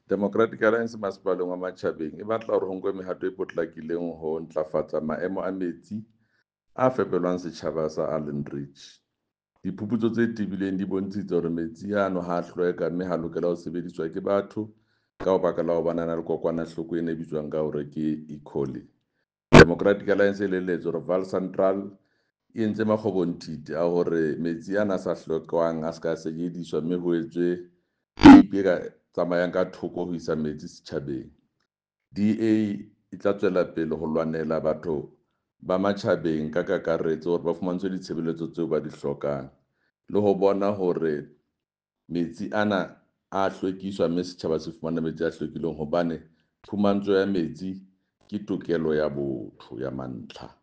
Democratic Alliance masepaleng wa Matjhabeng e batla hore ho nkwe mehato e potlakileng ho ntlafatsa maemo a metsi a fepelwang setjhaba sa Allanridge. Diphuputso tse tebileng di bontshitse hore metsi ano ha a hlweka mme ha lokela ho sebediswa ke batho ka baka la hobane a na le kokwanahloko ena e bitswang ka hore ke E. coli. Democratic Alliance e elelletswe hore Vaal Central e entse makgobonthithi a hore metsi ana a sa hlwekwang a se ka sebediswa mme ho etswe peipi e ka tsamayang ka thoko ho isa metsi setjhabeng. DA e tla tswela pele ho lwanela batho ba matjhabeng ka kakaretso hore ba fumantshwe ditshebeletso tseo ba di hlokang le ho bona hore metsi ana a hlwekiswa mme setjhaba se fumana metsi a hlwekileng hobane phumantsho ya metsi ke tokelo ya botho ya mantlha.